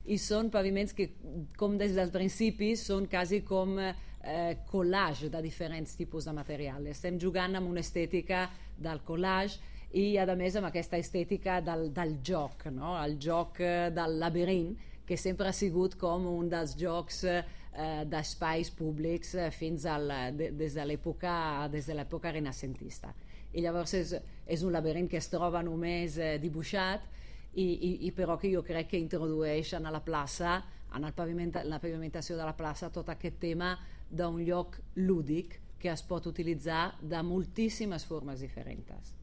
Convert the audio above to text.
i són paviments que, com des del principi, són quasi com collage de diferents tipus de material. Estem jugant amb una estètica del collage i, a més, amb aquesta estètica del joc, no? El joc del laberint, que sempre ha sigut com un dels jocs d'espais públics des de l'època renaixentista. I llavors és un laberint que es troba només dibuixat i però que jo crec que introdueix a la plaça, en la pavimentació de la plaça, tot aquest tema d'un lloc lúdic que es pot utilitzar de moltíssimes formes diferents.